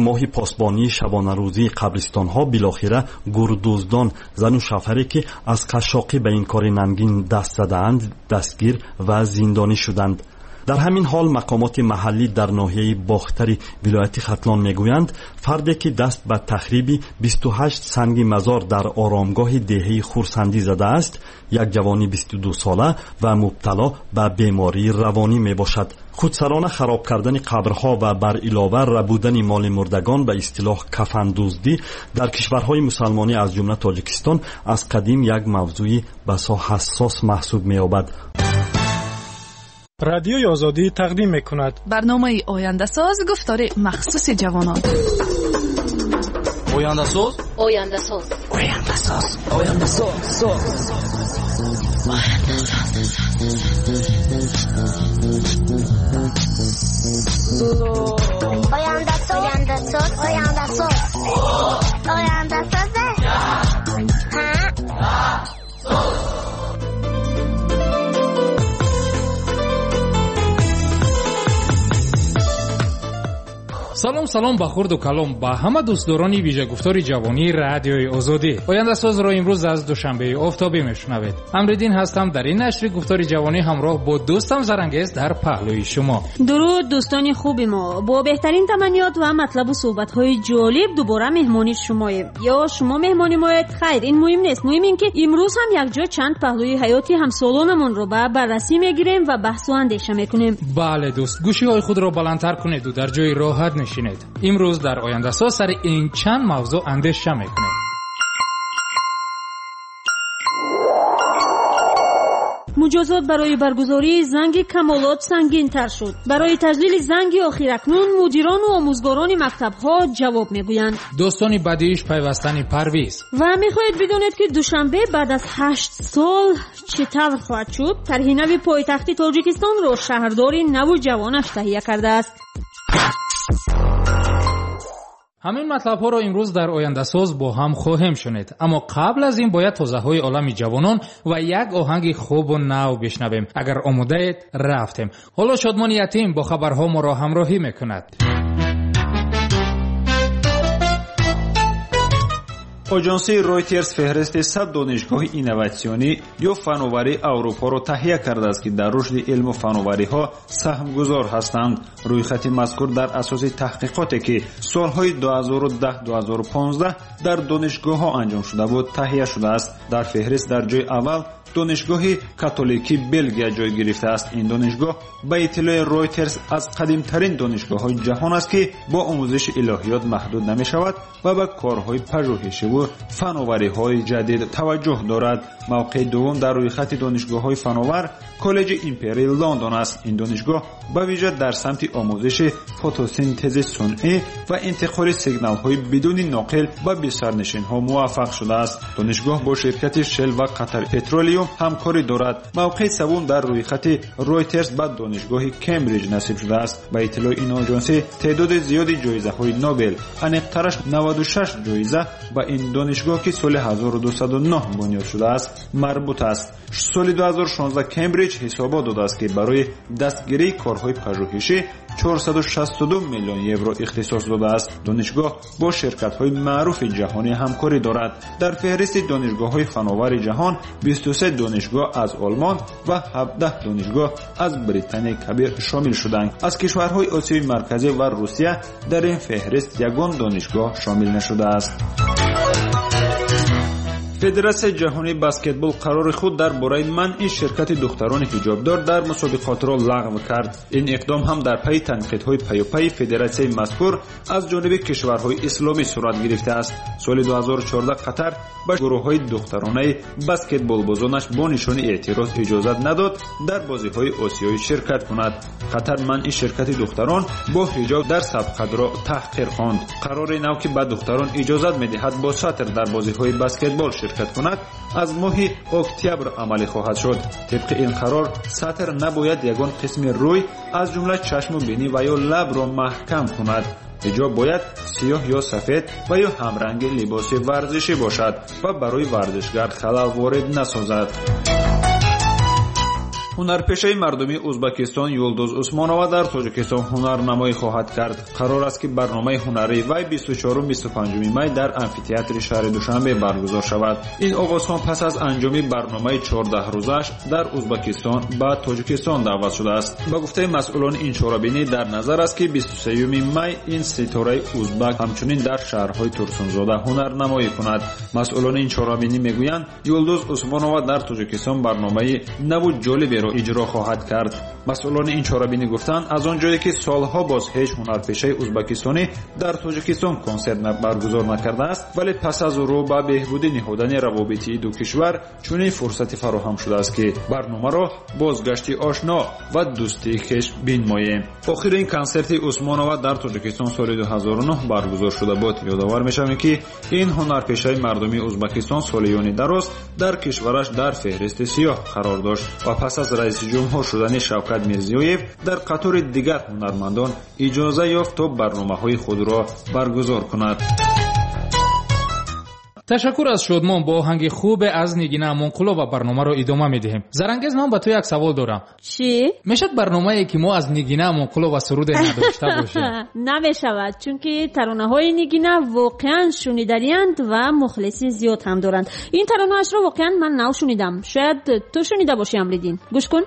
Моҳи посбонии шабонарӯзии қабристонҳо билохира гурдуздон, зану шавҳаре, ки аз қашшоқӣ ба ин кори нангин даст задаанд, дастгир ва зиндонӣ шуданд. Дар ҳамин ҳол мақомоти маҳаллӣ дар ноҳияи Бохтари вилояти Хатлон мегӯянд, фарде, ки даст ба тахриби 28 санги мазор дар оромгоҳи деҳаи Хурсандӣ задааст, як ҷавони 22сола ва мубтало ба бемории равонӣ мебошад. Худсарона хароб кардани қабрҳо ва бар илова рабудани моли мурдагон, ба истилоҳ кафандуздӣ, дар кишварҳои мусалмонӣ, аз ҷумла Тоҷикистон, аз қадим як мавзӯи басо ҳассос маҳсуб меёбад. Радиои Озодӣ тақдим мекунад барномаи Ояндасоз, гуфтори махсуси ҷавонон. Ояндасоз, Ояндасоз, Ояндасоз, Ояндасоз, Ояндасоз. Ояндасоз, Ояндасоз, Ояндасоз, Ояндасоз. Ҳа. Салом, салом ба хурду калом, ба ҳама дӯстдорони вижагуфтори ҷавонии Радиои Озодӣ. Ояндасозро имрӯз аз Душанбеи офтобӣ мешунавед. Амриддин ҳастам, дар ин нашри гуфтори ҷавонӣ ҳамроҳ бо дӯстам Зарангез дар паҳлӯи шумо. Дуруд, дӯстони хуби мо. Бо беҳтарин таманниёт ва матлабу суҳбатҳои ҷолиб дубора меҳмони шумоем ё шумо меҳмони моед. Хайр, ин муҳим нест. Муҳим ин ки имрӯз ҳам якҷо чанд паҳлӯи ҳаёти ҳамсолонамонро ба баррасӣ мегирем ва баҳсу андеша мекунем. Бале, дӯст, гӯшиҳои худро баландтар кунеду дар ҷои роҳат нишинед. Имрӯз дар Ояндасоз сари ин чанд мавзӯъ андеша мекунем. Муҷозот барои баргузории занги камолот сангинтар шуд. Барои таҷлили занги охир акнун мудирону омӯзгорони мактабҳо ҷавоб мегӯянд. Дӯстони бадииш пайвастани Парвиз. Ва мехоҳед бидонед, ки Душанбе баъд аз 8 сол чӣ тавр хоҳад шуд? Тарҳи нави пойтахти Тоҷикистонро шаҳрдори наву ҷавонаш таҳия кардааст. Ҳамин матлабҳоро имрӯз дар Ояндасоз бо ҳам хоҳем шунид, аммо қабл аз ин бояд тозаҳои олами ҷавонон ва як оҳанги хубу нав бишнавем. Агар омодаед, рафтем. Ҳоло Шодмони Ятим бо хабарҳо моро ҳамроҳӣ мекунад. Оҷонсии Ройтерс феҳристи 100 донишгоҳи инноватсионӣ ё фановарии Аврупоро таҳия кардааст, ки дар рушди илму фановариҳо саҳмгузор ҳастанд. Рӯйхати мазкур дар асоси таҳқиқоте, ки солҳои 2010-2015 дар донишгоҳҳо анҷом шуда буд, таҳия шудааст. Дар феҳрист дар ҷои аввал Донишгоҳи Католикии Белгия ҷой гирифтааст. Ин донишгоҳ, ба иттилои Ройтерс, аз қадимтарин донишгоҳҳои ҷаҳон аст, ки бо омӯзиши илоҳиёт маҳдуд намешавад ва ба корҳои пажӯҳишиву фановариҳои ҷадид таваҷҷӯҳ дорад. Мавқеи дуввум дар рӯйхати донишгоҳҳои фановар Коллеҷи Империи Лондон аст. Ин донишгоҳ ба вижа дар самти омӯзиши фотосинтези сунъӣ ва интиқоли сигналҳои бидуни ноқил ба бисарнишинҳо муваффақ шудааст. Донишгоҳ бо ширкати Шел ва Қатар Петролиум ҳамкорӣ дорад. Мавқеи севум дар рӯйхати Ройтерс ба Донишгоҳи Кембриҷ насиб шудааст. Ба иттилои ин оҷонсӣ, теъдоди зиёди ҷоизаҳои Нобел, аниқтараш 96 ҷоиза, ба ин донишгоҳ, ки соли 1209 бунёд шудааст, марбут аст. Соли 2016 Кембриҷ ҳисобот додааст, ки барои дастгирии корҳои пажӯҳишӣ 462 миллион евро ихтисос додааст. Донишгоҳ бо ширкатҳои маъруфи ҷаҳонӣ ҳамкорӣ дорад. Дар феҳристи донишгоҳҳои фановари ҷаҳон 23 донишгоҳ аз Олмон ва 17 донишгоҳ аз Британияи Кабир шомил шуданд. Аз кишварҳои Осиёи Марказӣ ва Русия дар ин феҳрист ягон донишгоҳ шомил нашудааст. Федератсияи ҷаҳонии баскетбол қарори худ дар бораи манъи ширкати духтарони ҳиҷобдор дар мусобиқотро лағв кард. Ин иқдом ҳам дар пайи танқидҳои паюпайи федератсияи мазкур аз ҷониби кишварҳои исломӣ сурат гирифтааст. Соли 2014 Қатар ба гурӯҳҳои духтаронаи баскетболбозонаш бо нишони эътироз иҷозат надод дар бозиҳои осиёӣ ширкат кунад. Қатар манъи ширкати духтарон бо ҳиҷоб дар сабқатро таҳқир хонд. Қарори нав, ки ба духтарон иҷозат медиҳад бо сатр дар бозиҳои баскетбол ширкат кунад, аз моҳи октябр амалӣ хоҳад шуд. Тибқи ин қарор, сатр набояд ягон қисми рӯй, аз ҷумла чашму бинӣ ва ё лабро маҳкам кунад. Ҳиҷоб бояд сиёҳ ё сафед ва ё ҳамранги либоси варзишӣ бошад ва барои варзишгар халал ворид насозад. Ҳунарпешаи мардумии Ӯзбекистон Юлдуз Усмонова дар Тоҷикистон ҳунарнамоӣ хоҳад кард. Қарор аст, ки барномаи ҳунарии вай 24-25 май дар амфитеатри шаҳри Душанбе баргузор шавад. Ин овозхон пас аз анҷоми барномаи 14 рӯзааш дар Ӯзбекистон ба Тоҷикистон даъват шудааст. Ба гуфтаи масъулони ин чорабинӣ дар назар аст, ки 23 май ин ситораи ӯзбак ҳамчунин дар шаҳрҳои Турсунзода ҳунарнамоӣ кунад. Масъулони ин чорабинӣ мегӯянд, Юлдуз Усмонова дар Тоҷикистон барномаи наву ҷолиберо иҷро хоҳад кард. Масъулони ин чорабинӣ гуфтанд, аз он ҷое ки солҳо боз ҳеҷ ҳунарпешаи ӯзбекистонӣ дар Тоҷикистон консерт баргузор накардааст, вале пас аз рӯ ба беҳбудӣ ниҳодани равобити ду кишвар чунин фурсате фароҳам шудааст, ки барномаро бозгашти ошно ва дӯстии хеш бинмоем. Охирин консерти Усмонова дар Тоҷикистон соли 2009 баргузор шуда буд. Ёдовар мешавем, ки ин ҳунарпешаи мардумии Ӯзбекистон солиёни дароз дар кишвараш дар феҳристи сиёҳ қарор дошт ва пас аз раиси ҷумҳур шудани Шавкат Мирзиёев дар қатори дигар ҳунармандон иҷоза ёфт то барномаҳои худро баргузор кунад. Ташаккур аз Шодмон бо оҳанги хубе аз Нигина Амонқулова барномаро идома медиҳем. Зарангез, ман ба ту як савол дорам. Чӣ? Мешавад барномае, ки мо аз Нигина Амонқулова суруде надошта бошем? Намешавад, чунки таронаҳои Нигина воқеан шуниданианд ва мухлиси зиёд ҳам доранд. Ин таронаашро воқеан ман нав шунидам. Шояд ту шунида бошӣ, Амриддин. Гӯш кун.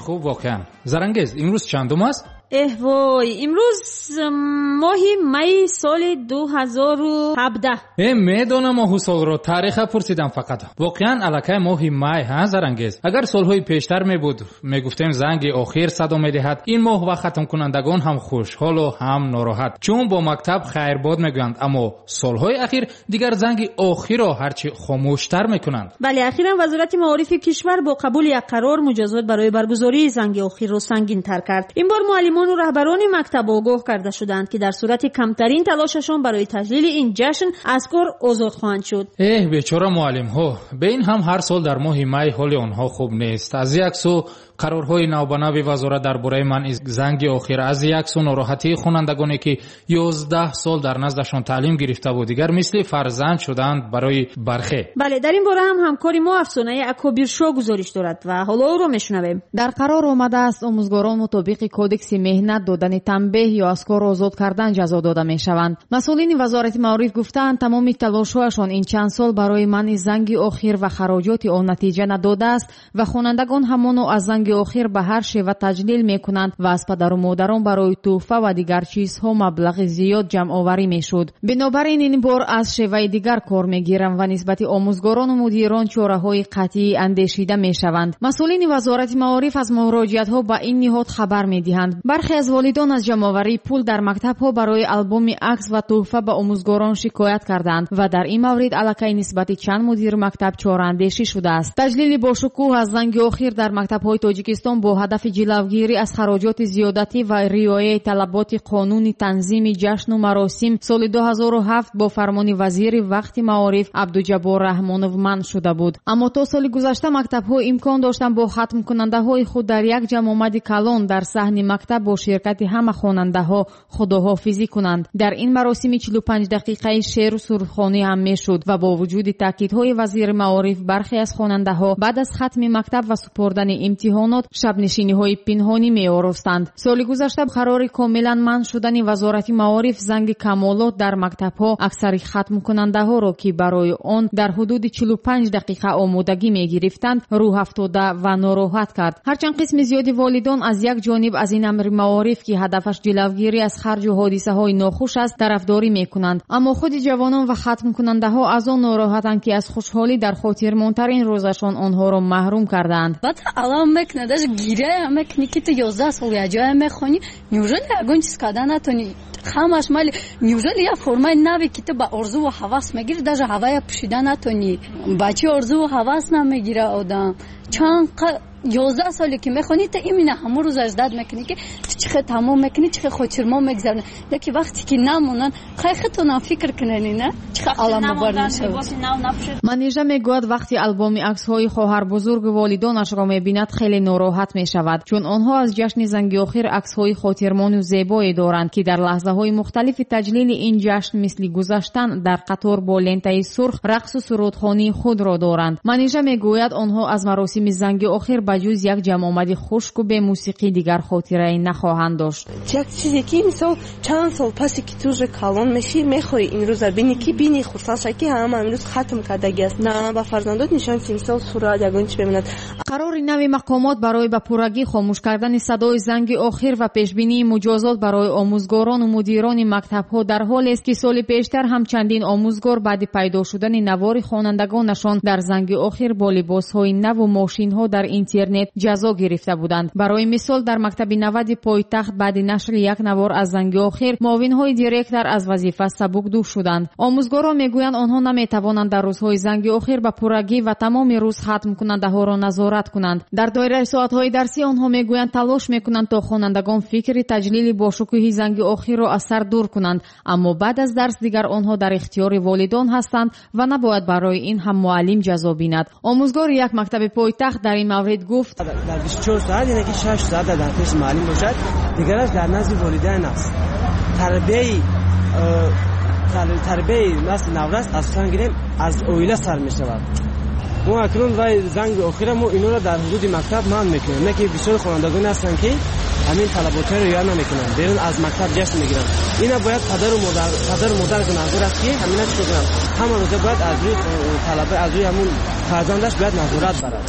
Хуб, воқеан. Зарангез, имрӯз чандум аст? Эҳ вой, имрӯз моҳи майи соли 2017. Медонам моҳу солро, тариха пурсидам фақат. Воқеан аллакай моҳи май, ҳа Зарангез? Агар солҳои пештар мебуд, мегуфтем занги охир садо медиҳад. Ин моҳ ва хатмкунандагон ҳам хушҳолу ҳам нороҳат, чун бо мактаб хайрбод мегӯянд. Аммо солҳои ахир дигар занги охирро ҳарчи хомӯштар мекунанд. Бале, ахиран Вазорати маорифи кишвар бо қабули як қарор муҷозот барои баргузории занги охирро сангинтар кард. Ин бор муаллимону раҳбарони мактаб огоҳ карда шуданд, ки дар сурати камтарин талошашон барои таҷлили ин ҷашн аз кор озод хоҳанд шуд. Эҳ, бечора муаллимҳо! Бе ин ҳам ҳар сол дар моҳи май ҳоли онҳо хуб нест. Аз як сӯ қарорҳои навбанави вазорат дар бораи манъи занги охир, аз як сӯ нороҳатии хонандагоне, ки 11 сол дар наздашон таълим гирифтаву дигар мисли фарзанд шуданд барои бархе. Бале, дар ин бора ҳам ҳамкори мо Афсонаи Акобиршо гузориш дорад ва ҳоло ӯро мешунавем. Дар қарор омадааст, омӯзгорон мутобиқи кодекси меҳнат додани танбеҳ ё аз кор озод кардан ҷазо дода мешаванд. Масъулини Вазорати маориф гуфтаанд, тамоми талошҳояшон ин чанд сол барои манъи занги охир ва хароҷоти он натиҷа надодааст ва хонандагон ҳамоно аз занги занги охир ба ҳар шева таҷлил мекунанд ва аз падару модарон барои тӯҳфа ва дигар чизҳо маблағи зиёд ҷамъоварӣ мешуд. Бинобар ин ин бор аз шеваи дигар кор мегирам ва нисбати омӯзгорону мудирон чораҳои қатъӣ андешида мешаванд. Масъулини Вазорати маориф аз муроҷиатҳо ба ин ниҳод хабар медиҳанд. Бархе аз волидон аз ҷамъоварии пул дар мактабҳо барои албоми акс ва тӯҳфа ба омӯзгорон шикоят карданд ва дар ин маврид аллакай нисбати чанд мудири мактаб чораандешӣ шудааст. Таҷлили бошукӯҳ аз занги охир дар мактабҳои Тоҷикистон бо ҳадафи ҷилавгирӣ аз хароҷоти зиёдатӣ ва риояи талаботи қонуни танзими ҷашну маросим соли 2007 бо фармони вазири вақти маориф Абдуҷаббор Раҳмонов манъ шуда буд. Аммо то соли гузашта мактабҳо имкон доштанд бо хатмкунандаҳои худ дар як ҷамъомади калон дар саҳни мактаб бо ширкати ҳама хонандаҳо худоҳофизӣ кунанд. Дар ин маросими 45 дақиқаи шеъру сурудхонӣ ҳам мешуд ва бо вуҷуди таъкидҳои вазири маориф бархе аз хонандаҳо баъд аз хатми мактаб ва супордани имтиҳонот шабнишиниҳои пинҳонӣ меоростанд. Соли гузашта қарори комилан манъ шудани Вазорати маориф занги камолот дар мактабҳо аксари хатмкунандаҳоро, ки барои он дар ҳудуди 45 дақиқа омодагӣ мегирифтанд, рӯҳафтода ва нороҳат кард. Ҳарчанд қисми зиёди волидон аз як ҷониб аз ин амри маориф, ки ҳадафаш ҷилавгирӣ аз харҷу ҳодисаҳои нохуш аст, тарафдорӣ мекунанд, аммо худи ҷавонон ва хатмкунандаҳо аз он нороҳатанд, ки аз хушҳолӣ дар хотирмонтарин рӯзашон онҳоро маҳрум кардаанд. Баъд алам мекунад, даже гиря мекунӣ, ки ту 11 сол як ҷоя мехонӣ, неужели ягон чиз карда натонӣ? Ҳамаш мали, неужели як формаи наве, ки ту ба орзуву ҳавас мегирӣ, даже ҳавая пӯшида натонӣ? Ба чӣ орзуву ҳавас намегира одам? Чанд 11 соле ки мехонӣ, ту именно ҳамон рӯзаш дад мекунӣ, ки ту чӣ хел тамом мекунӣ, чӣ хел хотирмон мегзаронӣ. Лекин вақте ки намонанд, хай худтонам фикр кунед, на чӣ хел аламовар мешавад. Манижа мегӯяд, вақти албоми аксҳои хоҳарбузургу волидонашро мебинад, хеле нороҳат мешавад, чун онҳо аз ҷашни занги охир аксҳои хотирмону зебое доранд, ки дар лаҳзаҳои мухталифи таҷлили ин ҷашн мисли гузаштан дар қатор бо лентаи сурх, рақсу сурудхонии худро доранд. Манижа мегӯяд, онҳо аз маросими занги охир ба ҷуз як ҷамъомади хушку бемусиқӣ дигар хотирае нахоҳанд дошт. Як чизе ки мисол чанд сол пасе ки ту уже калон мешӣ, мехоҳӣ ин рӯза бинӣ, ки бинӣ, хурсанд шавӣ, ки ҳама имрӯз хатм кардагӣ аст, на ба фарзандот нишон, ки мисол сурат ягон чи бемонад. Қарори нави мақомот барои ба пуррагӣ хомӯш кардани садои занги охир ва пешбинии муҷозот барои омӯзгорону мудирони мактабҳо дар ҳолест, ки соли пештар ҳам чандин омӯзгор баъди пайдо шудани навори хонандагонашон дар занги охир бо либосҳои наву мошинҳо дар интернет ҷазо гирифта буданд. Барои мисол, дар мактаби 90 пойтахт баъди нашри як навор аз занги охир муовинҳои директор аз вазифа сабукдӯш шуданд. Омӯзгорон мегӯянд, онҳо наметавонанд дар рӯзҳои занги охир ба пуррагӣ ва тамоми рӯз хатмкунандаҳоро назорат кунанд. Дар доираи соатҳои дарсӣ онҳо мегӯянд, талош мекунанд, то хонандагон фикри таҷлили бошукӯҳи занги охирро аз сар дур кунанд, аммо баъд аз дарс дигар онҳо дар ихтиёри волидон ҳастанд ва набояд барои ин ҳам муаллим ҷазо бинад. Омӯзгори як мактаби пойтахт дар ин маврид гуфт: Дар 24 соат, яъне ки 6 соат дар пеши муаллим бошад, дигараш дар назди волидайн аст. Тарбияи насли наврас асосан гирем аз оила сар мешавад. Мо акнун вай занги охира мо инора дар ҳудуди мактаб манъ мекунем, не ки бисёри хонандагоне ҳастанд, ки ҳамин талаботҳоро риоя намекунанд, берун аз мактаб ҷашн мегиранд. Ина бояд падару модар гунаҳгор аст, ки ҳамина чӣ кунанд. Ҳама рӯза бояд аз рӯи талаба, аз рӯи ҳамун фарзандаш бояд назорат барад.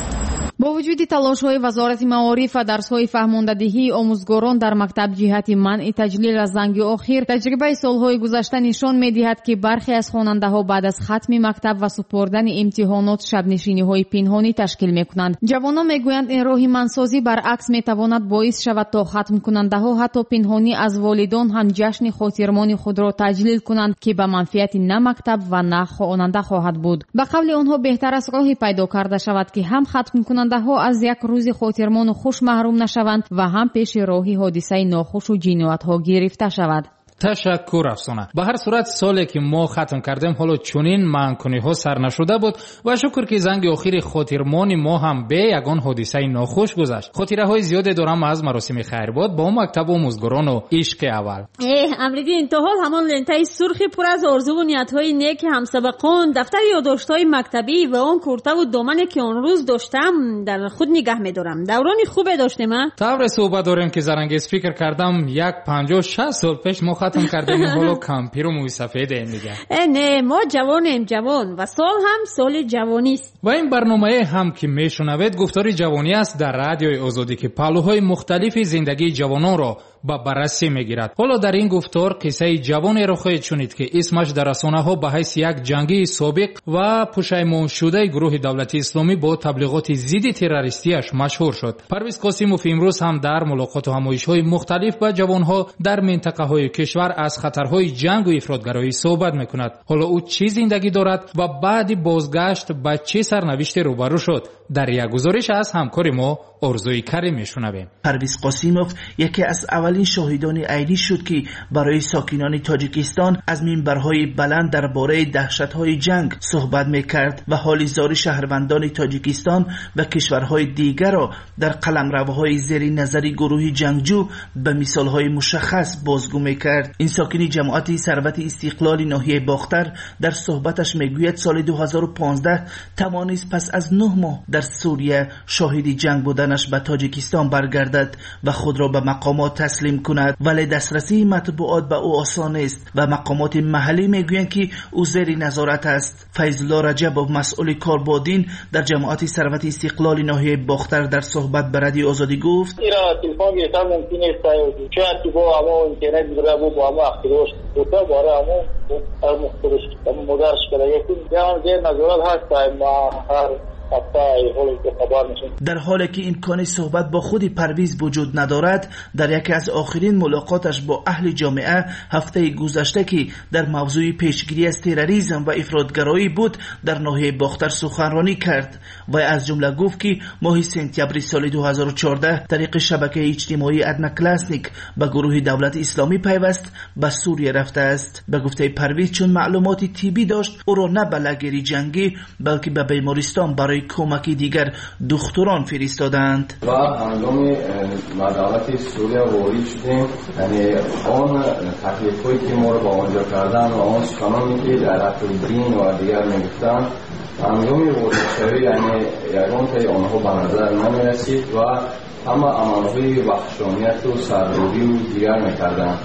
Бо вуҷуди талошҳои Вазорати маориф ва дарсҳои фаҳмондадиҳии омӯзгорон дар мактаб ҷиҳати манъи таҷлил аз занги охир, таҷрибаи солҳои гузашта нишон медиҳад, ки бархе аз хонандаҳо баъд аз хатми мактаб ва супордани имтиҳонот шабнишиниҳои пинҳонӣ ташкил мекунанд. Ҷавонон мегӯянд, ин роҳи манъсозӣ баръакс метавонад боис шавад, то хатмкунандаҳо ҳатто пинҳонӣ аз волидон ҳам ҷашни хотирмони худро таҷлил кунанд, ки ба манфиати на мактаб ва на хонанда хоҳад буд. Ба қавли онҳо, беҳтар аст роҳе пайдо карда шавад, ки ҳам хатмкунандаҳо аз як рӯзи хотирмону хуш маҳрум нашаванд ва ҳам пеши роҳи ҳодисаи нохушу ҷиноятҳо гирифта шавад. Ташаккур, Афсона. Ба ҳар сурат, соле ки мо хатм кардем, ҳоло чунин манъкуниҳо сар нашуда буд ва шукр, ки занги охири хотирмони мо ҳам бе ягон ҳодисаи нохуш гузашт. Хотираҳои зиёде дорам аз маросими хайрбод бо мактабу омӯзгорону ишқи аввал. Эҳ, Амриддин, то ҳол ҳамон лентаи сурхи пур аз орзуву ниятҳои неки ҳамсабақон, дафтари ёддоштҳои мактабӣ ва он куртаву домане, ки он рӯз доштам, дар худ нигаҳ медорам. Даврони хубе доштем, а? Тавре суҳбат дорем, ки Зарангез, фикр кардам, як 50-60 сол пеш мо хатм кардем, ҳоло кампиру мӯйсафедем дигар. Не, мо ҷавонем, ҷавон, ва сол ҳам соли ҷавонист. Ва ин барномае ҳам ки мешунавед, гуфтори ҷавонӣ аст дар Радиои Озодӣ, ки паҳлӯҳои мухталифи зиндагии ҷавононро ба баррасӣ мегирад. Ҳоло дар ин гуфтор қиссаи ҷавонеро хоҳед шунид, ки исмаш дар расонаҳо ба ҳайси як ҷангии собиқ ва пушаймоншудаи гурӯҳи давлати исломӣ бо таблиғоти зидди террористияш машҳур шуд. Парвиз Қосимов имрӯз ҳам дар мулоқоту ҳамоишҳои мухталиф ба ҷавонҳо дар минтақаҳои кишвар аз хатарҳои ҷангу ифротгароӣ суҳбат мекунад. Ҳоло ӯ чӣ зиндагӣ дорад ва баъди бозгашт ба чӣ сарнавиште рӯбарӯ шуд? Дар як гузориш аз ҳамкори мо Орзуи Карим мешунавем. Парвиз Қосимов яке аз аввалин шоҳидони айнӣ шуд, ки барои сокинони Тоҷикистон аз минбарҳои баланд дар бораи даҳшатҳои ҷанг суҳбат мекард ва ҳоли зори шаҳрвандони Тоҷикистон ва кишварҳои дигарро дар қаламравҳои зери назари гурӯҳи ҷангҷӯ ба мисолҳои мушаххас бозгӯ мекард. Ин сокини ҷамоати Сарвати Истиқлоли ноҳияи Бохтар дар суҳбаташ мегӯяд, соли 2015 тавонист пас аз 9 моҳ дар Сурия шоҳиди ҷанг буданаш ба Тоҷикистон баргардад ва худро ба мақомот таслим кунад, вале дастрасии матбуот ба ӯ осон нест ва мақомоти маҳаллӣ мегӯянд, ки ӯ зери назорат аст. Файзулло Раҷабов, масъули кор бо дин дар ҷамоати Сарвати Истиқлоли ноҳияи Бохтар, дар суҳбат ба Радиои Озодӣ гуфт: телефон гирифтан мумкин нест, шояд ки бо ҳамо интернет бо ҳамо ахтирош бута бора ҳамо модарш карда, зер назорат ҳаст ҳар. Дар ҳоле ки имкони суҳбат бо худи Парвиз вуҷуд надорад, дар яке аз охирин мулоқоташ бо аҳли ҷомеа ҳафтаи гузашта, ки дар мавзӯи пешгирӣ аз терроризм ва ифротгароӣ буд, дар ноҳияи Бохтар суханронӣ кард ва аз ҷумла гуфт, ки моҳи сентябри соли 2014 тариқи шабакаи иҷтимоии Одноклассник ба гурӯҳи давлати исломӣ пайваст, ба Сурия рафтааст. Ба гуфтаи Парвиз, чун маълумоти тиббӣ дошт, ӯро на ба лагери ҷангӣ, балки ба бемористон барои кӯмаки дигар духтурон фиристоданд. Ва ҳангоми ба давлати Сурия ворид шудем, яъне он таклифҳое ки моро ба онҷо карданд ва он суханоне ки дар ҳаққи дин ва дигар мегуфтанд, ҳангоми воридшавӣ яъне ягонтаи онҳо ба назар намерасид ва ҳама амалҳои ваҳшонияту саррӯбиву дигар мекарданд.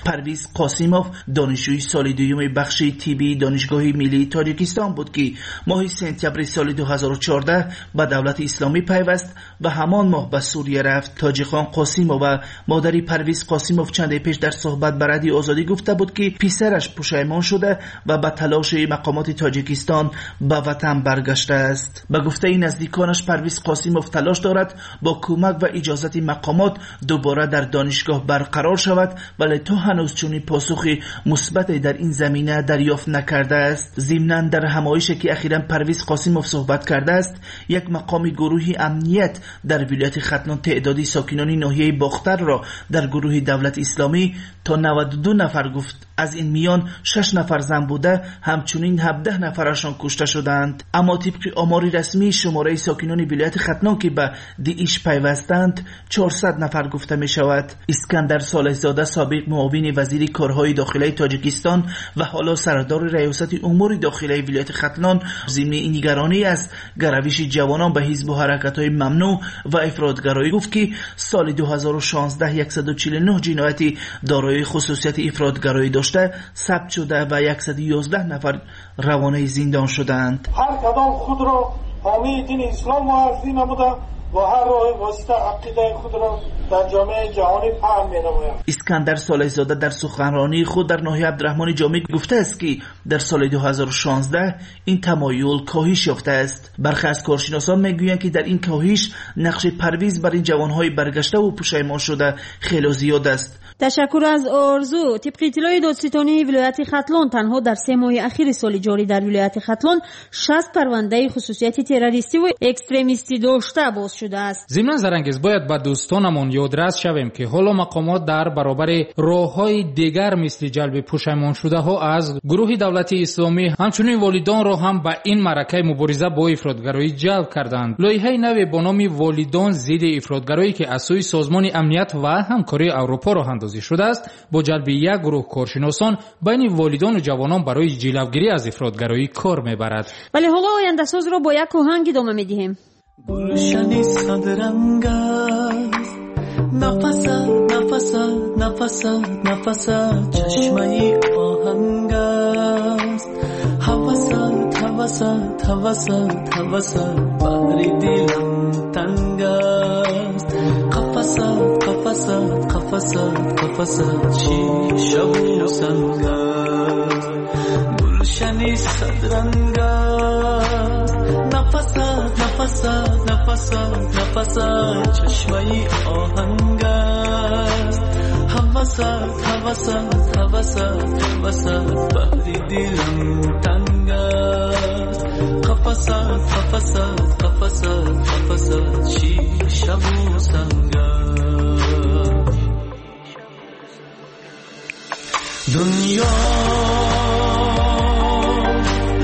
Парвиз Қосимов донишҷӯи соли дуюми бахши тиббии Донишгоҳи миллии Тоҷикистон буд, ки моҳи сентябри соли 2014 ба давлати исломӣ пайваст ва ҳамон моҳ ба Сурия рафт. Тоҷихон Қосимова, модари Парвиз Қосимов, чанде пеш дар суҳбат ба Радиои Озодӣ гуфта буд, ки писараш пушаймон шуда ва ба талоши мақомоти Тоҷикистон ба ватан баргаштааст. Ба гуфтаи наздиконаш, Парвиз Қосимов талош дорад бо кӯмак ва иҷозати мақомот дубора дар донишгоҳ барқарор шавад, вале то ҳанӯз чунин посухи мусбате дар ин замина дарёфт накардааст. Зимнан дар ҳамоише ки ахиран Парвиз Қосимов суҳбат кардааст, як мақоми гурӯҳи амният дар вилояти Хатлон теъдоди сокинони ноҳияи Бохтарро дар гурӯҳи давлати исломӣ то 92 нафар гуфт. Аз ин миён 6 нафар зан буда, ҳамчунин 17 нафарашон кушта шуданд. Аммо тибқи омори расмии шумораи сокинони вилояти Хатлон, ки ба ДИИШ пайвастанд, 400 нафар гуфта мешавад. Искандар Солеҳзода, собиқ муовини вазири корҳои дохилаи Тоҷикистон ва ҳоло сардори раёсати умури дохилаи вилояти Хатлон, зимни нигаронӣ аз гаравиши ҷавонон ба ҳизбу ҳаракатҳои мамнӯъ ва ифротгароӣ гуфт, ки соли 2016 149 ҷинояти дорои хусусияти ифротгароӣ дошта сабт шуда ва 111 нафар равонаи зиндон шуданд. Ҳар кадом худро ҳомии дини ислом муаррифӣ намуда ва ҳар роҳи восита ақидаи худро дар ҷомеаи ҷаҳонӣ паҳн менамояд. Искандар Солеҳзода дар суханронии худ дар ноҳияи Абдураҳмони Ҷомӣ гуфтааст, ки дар соли 2016 ин тамоюл коҳиш ёфтааст. Бархе аз коршиносон мегӯянд, ки дар ин коҳиш нақши Парвиз бар ин ҷавонҳои баргаштаву пушаймон шуда хело зиёд аст. Ташаккур аз Орзу. Тибқи иттилои додситонии вилояти Хатлон, танҳо дар 3 моҳи ахири соли ҷорӣ дар вилояти Хатлон 60 парвандаи хусусияти террористиву экстремистӣ дошта боз шудааст. Зимнан Зарангез, бояд ба дӯстонамон ёдрас шавем, ки ҳоло мақомот дар баробари роҳҳои дигар мисли ҷалби пушаймоншудаҳо аз гурӯҳи давлати исломӣ, ҳамчунин волидонро ҳам ба ин маъракаи мубориза бо ифротгароӣ ҷалб карданд. Лоиҳаи наве бо номи волидон зидди ифротгароӣ, ки аз сӯи Созмони амният ва ҳамкории Аврупо роҳандозӣ шудааст, бо ҷалби як гурӯҳ коршиносон байни волидону ҷавонон барои ҷилавгирӣ аз ифротгароӣ кор мебарад. Вале ҳоло ояндасозро бо як оҳанг идома медиҳем. Гулшани садранг аст, Нафасат, нафасат, нафасат, нафасат чашмаи оҳанг аст. Ҳавасат, ҳавасат, ҳавасат, ҳавасат баҳри дилам танг аст. Қафасат, қафасат, қафасат, қафасат шишаву санг аст. Гулшани садранг аст. Нафасат, нафасат, нафасат, нафасат чашмаи оҳанг аст. Ҳавасат, ҳавасат, ҳавасат, ҳавасат баҳри дилам танг аст. Қафасат, қафасат, қафасат, қафасат шишаву санг аст. Дунё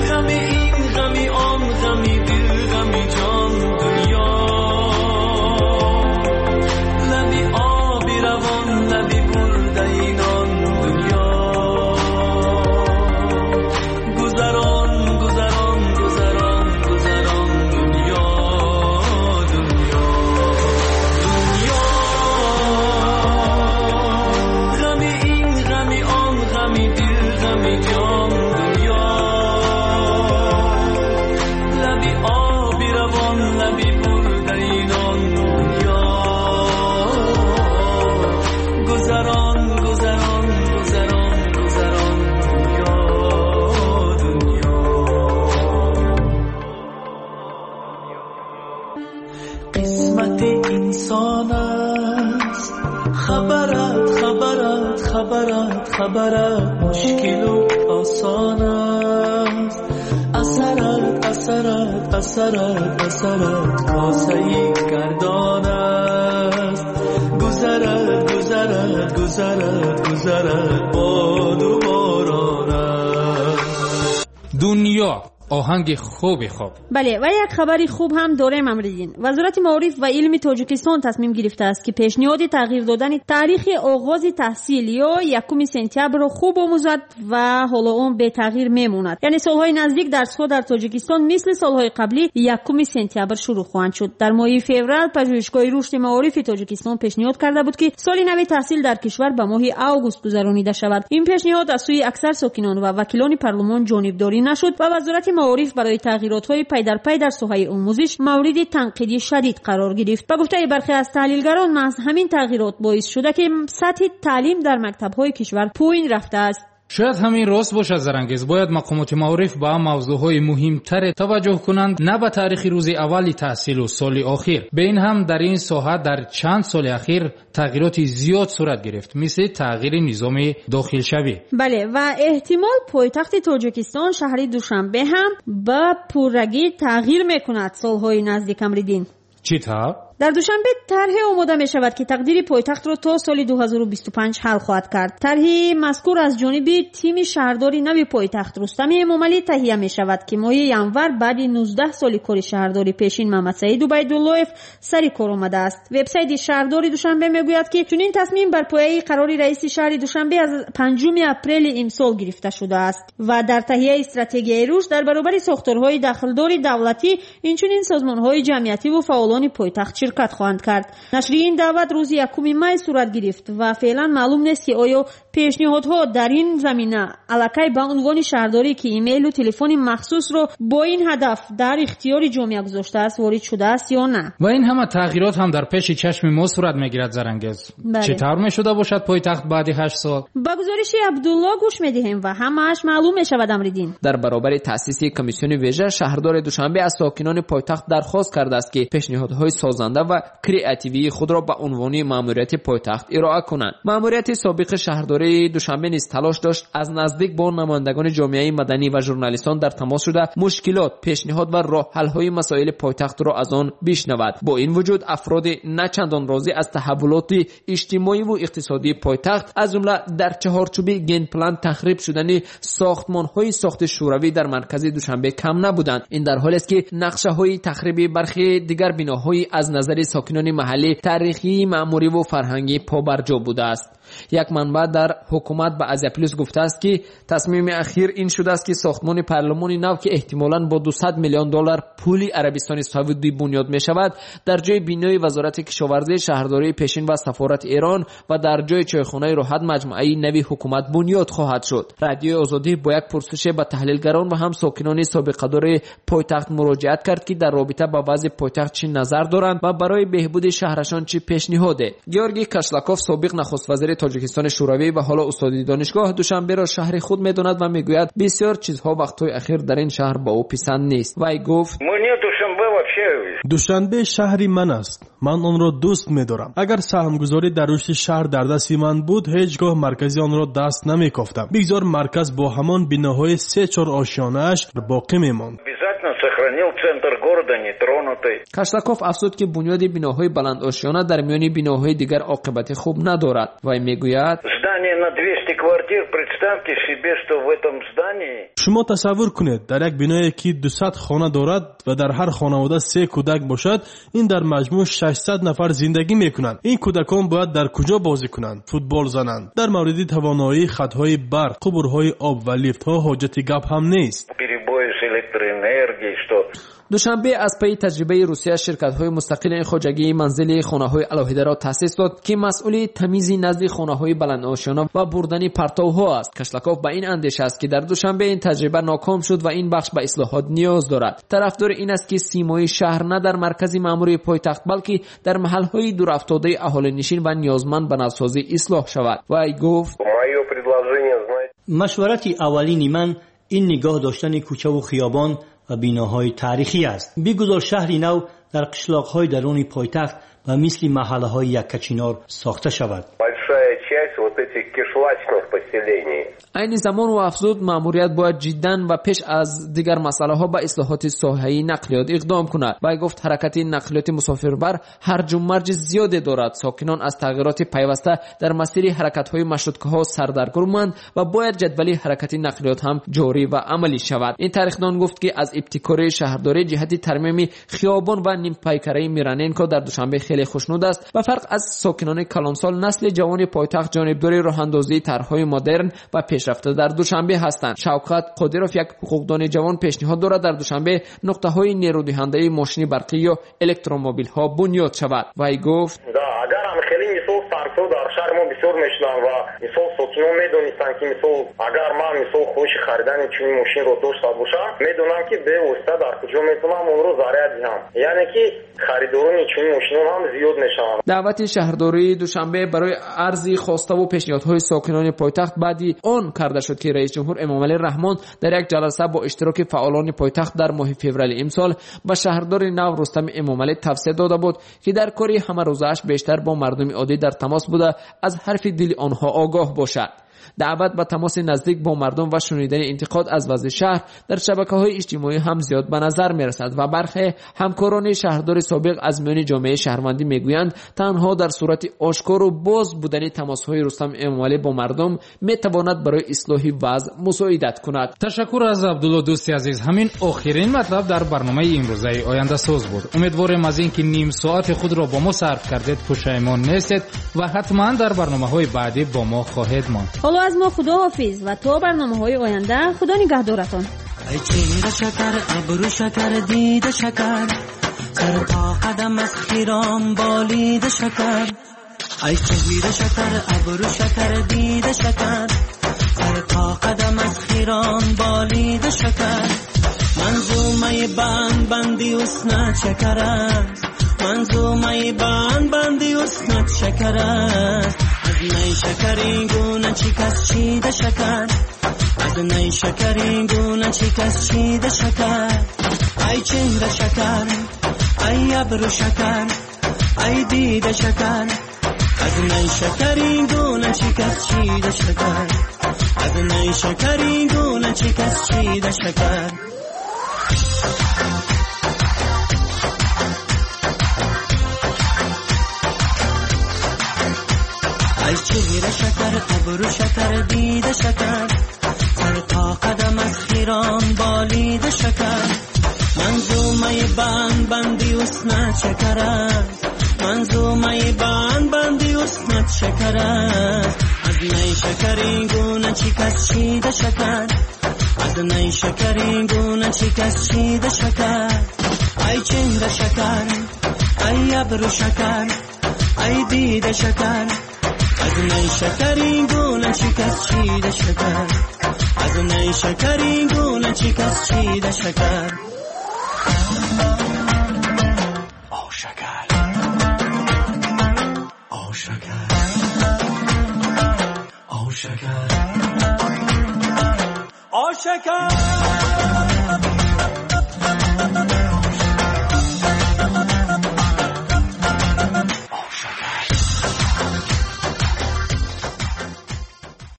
ғами ин, ғами он, ғами дил, ғами ҷон. Дунё лаби оби равон, лаби бурдаи нон. Дунё гузарон, гузарон, гузарон, гузарон. Дунё, дунё, дунё ғами ин, ғами он, ғами дил, ғами ҷон. Дунё лаби оби равон, лаби бурдаи нон. Дунё гузарон, гузарон, гузарон, гузарон. Дунё, дунё қисмати инсон аст. Хабарат, хабарат, хабарат, хабарат мушкилу осон аст. Асарат, асарат, асарат, асарат косаи гардон аст. Гузарат, гузарат, гузарат, гузарат боду борон аст. Дунё оҳанги хуби хуб. Бале, ва як хабари хуб ҳам дорем, Амриддин. Вазорати маориф ва илми Тоҷикистон тасмим гирифтааст, ки пешниҳоди тағйир додани таърихи оғози таҳсил ё 1 сентябрро хуб омӯзад ва ҳоло он бетағйир мемонад. Яъне солҳои наздик дарсҳо дар Тоҷикистон мисли солҳои қаблӣ 1 сентябр шурӯъ хоҳанд шуд. Дар моҳи феврал пажӯҳишгоҳи рушди маорифи Тоҷикистон пешниҳод карда буд, ки соли нави таҳсил дар кишвар ба моҳи август гузаронида шавад. Ин пешниҳод аз сӯи аксар сокинон ва вакилони парлумон ҷонибдорӣ нашуд ва Вазорати маориф барои тағйиротҳои пайдарпай дар соҳаи омӯзиш мавриди танқиди шадид қарор гирифт. Ба гуфтаи бархе аз таҳлилгарон, маҳз ҳамин тағйирот боис шуда, ки сатҳи таълим дар мактабҳои кишвар поин рафтааст. Шояд ҳамин рост бошад, Зарангез. Бояд мақомоти маориф ба мавзӯъҳои муҳимтаре таваҷҷӯҳ кунанд, на ба таърихи рӯзи аввали таҳсилу соли охир. Бе ин ҳам дар ин соҳа дар чанд соли ахир тағйироти зиёд сурат гирифт, мисли тағйири низоми дохилшавӣ. Бале, ва эҳтимол пойтахти Тоҷикистон шаҳри Душанбе ҳам ба пуррагӣ тағйир мекунад солҳои наздик, Амриддин. Чӣ тавр? Дар Душанбе тарҳе омода мешавад, ки тақдири пойтахтро то соли 2025 ҳал хоҳад кард. Тарҳи мазкур аз ҷониби тими шаҳрдори нави пойтахт Рустами Эмомалӣ таҳия мешавад, ки моҳи январ баъди 19 соли кори шаҳрдори пешин Мамадсаид Убайдуллоев сари кор омадааст. Вебсайти шаҳрдори Душанбе мегӯяд, ки чунин тасмим бар пояи қарори раиси шаҳри Душанбе аз 5 апрели имсол гирифта шудааст ва дар таҳияи стратегияи рушд дар баробари сохторҳои дахлдори давлатӣ инчунин созмонҳои ҷамъиятиву фаъолони пойтахт ширкат хоҳанд кард. Нашри ин даъват рӯзи 1 май сурат гирифт ва феълан маълум нест, ки оё пешниҳодҳо дар ин замина аллакай ба унвони шаҳрдорӣ, ки имейлу телефони махсусро бо ин ҳадаф дар ихтиёри ҷомеа гузоштааст, ворид шудааст ё на. Ва ин ҳама тағйирот ҳам дар пеши чашми мо сурат мегирад, Зарангез. Чӣ тавр мешуда бошад пойтахт баъди 8 сол? Ба гузориши Абдулло гӯш медиҳем ва ҳамааш маълум мешавад, Амриддин. Дар баробари таъсиси комиссиони вижа шаҳрдори Душанбе аз сокинони пойтахт дархост кардааст, ки пешниҳодҳои созанда ва креативии худро ба унвони маъмурияти пойтахт ироа кунанд. Маъмурияти собиқи шаҳрдории Душанбе низ талош дошт аз наздик бо намояндагони ҷомеаи маданӣ ва журналистон дар тамос шуда мушкилот, пешниҳод ва роҳҳалҳои масоили пойтахтро аз он бишнавад. Бо ин вуҷуд афроди на чандон розӣ аз таҳаввулоти иҷтимоиву иқтисодии пойтахт, аз ҷумла дар чаҳорчӯби генплан тахриб шудани сохтмонҳои сохти шӯравӣ дар маркази Душанбе кам набуданд. Ин дар ҳолест, ки нақшаҳои тахриби бархи дигар биноҳои аз назари сокинони маҳаллӣ таърихии, маъмуриву фарҳангӣ побарҷо будааст. Як манбаъ дар ҳукумат ба Азия Плюс гуфтааст, ки тасмими ахир ин шудааст, ки сохтмони парлумони нав, ки эҳтимолан бо 200 миллион доллар пули Арабистони Саудӣ бунёд мешавад, дар ҷои бинои Вазорати кишоварзӣ, шаҳрдории пешин ва сафорати Эрон ва дар ҷои чойхонаи Роҳат маҷмӯаи нави ҳукумат бунёд хоҳад шуд. Радиои Озодӣ бо як пурсише ба таҳлилгарон ва ҳам сокинони собиқадори пойтахт муроҷиат кард, ки дар робита ба вазъи пойтахт чӣ назар доранд ва барои беҳбуди шаҳрашон чӣ пешниҳоде. Георгий Кашлаков, собиқ нахуствазири Тоҷикистони Шӯравӣ ва ҳоло устоди донишгоҳ, Душанберо шаҳри худ медонад ва мегӯяд, бисёр чизҳо вақтҳои ахир дар ин шаҳр ба ӯ писанд нест. Вай гуфт: Душанбе шаҳри ман аст. Ман онро дӯст медорам. Агар саҳмгузорӣ дар рушди шаҳр дар дасти ман буд, ҳеҷ гоҳ маркази онро даст намекофтам. Бигзор марказ бо ҳамон биноҳои 3-4 ошёнааш боқӣ мемонд. Кашлаков афзуд, ки бунёди биноҳои баландошёна дар миёни биноҳои дигар оқибати хуб надорад. Вай мегӯяд: Шумо тасаввур кунед, дар як биное ки 200 хона дорад ва дар ҳар хонавода 3 кӯдак бошад, ин дар маҷмӯъ 600 нафар зиндагӣ мекунанд. Ин кӯдакон бояд дар куҷо бозӣ кунанд, футбол зананд? Дар мавриди тавоноии хатҳои барқ, қубурҳои об ва лифтҳо ҳоҷати гап ҳам нест. Душанбе аз пайи таҷрибаи Русия ширкатҳои мустақили хоҷагии манзили хонаҳои алоҳидаро таъсис дод, ки масъули тамизи назди хонаҳои баландошёна ва бурдани партовҳо аст. Кашлаков ба ин андеша аст, ки дар Душанбе ин таҷриба ноком шуд ва ин бахш ба ислоҳот ниёз дорад. Тарафдори ин аст, ки симои шаҳр на дар маркази маъмурии пойтахт, балки дар маҳалҳои дурафтодаи аҳолинишин ва ниёзманд ба навсозӣ ислоҳ шавад. Вай гуфт: Машварати аввалини ман ин нигоҳ доштани кӯчаву хиёбон ва биноҳои таърихӣ аст. Бигузор шаҳри нав дар қишлоқҳои даруни пойтахт ва мисли маҳаллаҳои Яккачинор сохта шавад. Айни замон, ӯ афзуд, маъмурият бояд ҷиддан ва пеш аз дигар масъалаҳо ба ислоҳоти соҳаи нақлиёт иқдом кунад. Вай гуфт, ҳаракати нақлиёти мусофирбар ҳарҷу марҷи зиёде дорад. Сокинон аз тағйироти пайваста дар масири ҳаракатҳои маршруткаҳо сардаргуманд ва бояд ҷадвали ҳаракати нақлиёт ҳам ҷорӣ ва амалӣ шавад. Ин тарихдон гуфт, ки аз ибтикори шаҳрдорӣ ҷиҳати тармими хиёбон ва нимпайкараи Мироненко дар Душанбе хеле хушнуд аст ва фарқ аз сокинони калонсол, насли ҷавони пойтахт ҷонибдори роҳандозии тарҳҳои модерн ва пешрафта дар Душанбе ҳастанд. Шавкат Қодиров, як ҳуқуқдони ҷавон, пешниҳод дорад дар Душанбе нуқтаҳои нерӯдиҳандаи мошини барқӣ ё электромобилҳо бунёд шавад. Вай гуфт: Агар ҳам хеле мисол сарфҳо дар шаҳри мо бисёр мешуданд ва мисол сокинон медонистанд, ки мисол агар ман мисол хоҳиши харидани чунин мошинро дошта бошам, медонам, ки бевосита дар куҷо метавонам онро заряд диҳам. Яъне ки харидорони чунин мошинон ҳам зиёд мешаванд. Даъвати шаҳрдории Душанбе барои арзи хоставу пешниҳодҳои сокинони пойтахт баъди он карда шуд, ки раисҷумҳур Эмомалӣ Раҳмон дар як ҷаласа бо иштироки фаъолони пойтахт дар моҳи феврали имсол ба шаҳрдори нав Рустам Эмомалӣ тавсия дода буд, ки дар кори ҳамарӯзааш бештар бо мардуми оддӣ дар тамос буда, аз ҳарфи дили онҳо огоҳ бошад. Даъват ба тамоси наздик бо мардум ва шунидани интиқод аз вазъи шаҳр дар шабакаҳои иҷтимоӣ ҳам зиёд ба назар мерасад ва бархе ҳамкорони шаҳрдори собиқ аз миёни ҷомеаи шаҳрвандӣ мегӯянд, танҳо дар сурати ошкору боз будани тамосҳои Рустам Эмомалӣ бо мардум метавонад барои ислоҳи вазъ мусоидат кунад. Ташаккур аз Абдулло, дӯсти азиз. Ҳамин охирин матлаб дар барномаи имрӯзаи Ояндасоз буд. Умедворем аз ин ки ним соати худро бо мо сарф кардед, пушаймон нестед ва ҳатман дар барномаҳои баъдӣ бо мо хоҳед монд. Ҳоло аз мо худоҳофиз ва то барномаҳои оянда худо нигаҳдоратон. Ай чеҳра шакар, абрӯ шакар, дида шакар, сар то қадам аз хиром болида шакар. Ай чеҳра шакар, абрӯ шакар, дида шакар, сар то қадам аз хиром болида шакар. Манзумаи банд банди ҳуснат шакар аст, манзумаи банд банди ҳуснат шакар аст. Аз най шакари гуна чӣ кас чида шакар, аз най шакари гуна чӣ кас чида шакар. Ай чеҳра шакар, ай абрӯ шакар, ай дида шакар, аз най шакари гуна чӣ кас чида шакар, аз най шакари гуна чӣ кас чида шакар. Ай чеҳра шакар, абрӯ шакар, дида шакар, сар то қадам аз хиром болида шакар. Манзумаи банд банди ҳуснат шакар аст, манзумаи банд банди ҳуснат шакар аст. Аз най шакарин гуна чӣ кас чида шакар, аз най шакарин гуна чӣ кас чида шакар. Ай чеҳра шакар, ай абру шакар, ай дида шакар, аз най шакарин гуна чӣ кас чида шакар, аз най шакарин гуна чӣ кас чида шакар. О шакар, о шакар, о шакар, о шакар.